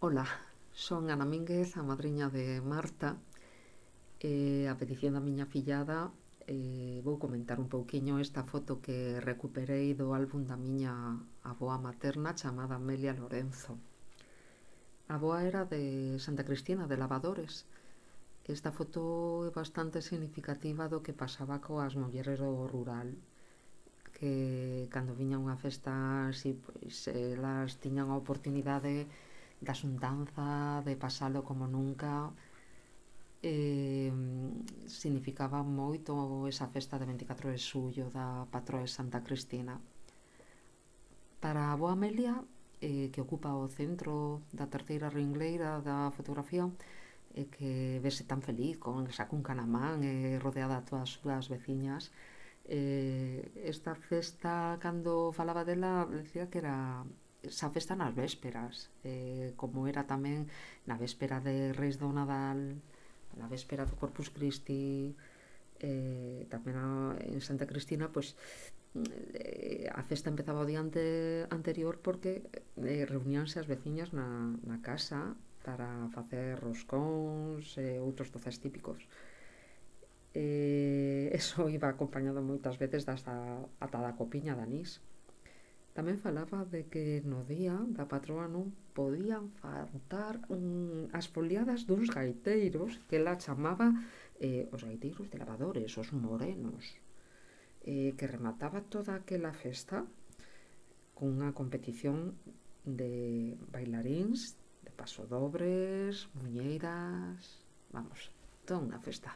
Ola, son Ana Mínguez, a madriña de Marta, e a petición da miña fillada vou comentar un pouquiño esta foto que recuperei do álbum da miña avoa materna chamada Amelia Lorenzo. A avoa era de Santa Cristina, de Lavadores. Esta foto é bastante significativa do que pasaba coas mulleres do rural, que cando viña unha festa así, pois elas tiñan a oportunidade da xuntanza, de pasalo como nunca. Significaba moito esa festa de 24 de xullo da patroa de Santa Cristina. Para a boa Amelia, que ocupa o centro da terceira ringleira da fotografía, que vese tan feliz con esa cunca na man, rodeada de todas as súas veciñas. Esta festa, cando falaba dela, decía que era esa festa nas vésperas, como era tamén na véspera de Reis do Nadal, na véspera do Corpus Christi, tamén en Santa Cristina, pois a festa empezaba o día anterior porque reuníanse as veciñas na casa para facer roscóns e outros doces típicos. Eso iba acompañado moitas veces ata da copiña de anís. Tamén falaba de que no día da patroa non podían faltar as foliadas duns gaiteiros que ela chamaba os gaiteiros de Lavadores, os morenos, que remataba toda aquela festa cunha competición de bailaríns, de pasodobres, muñeiras, vamos, toda unha festa.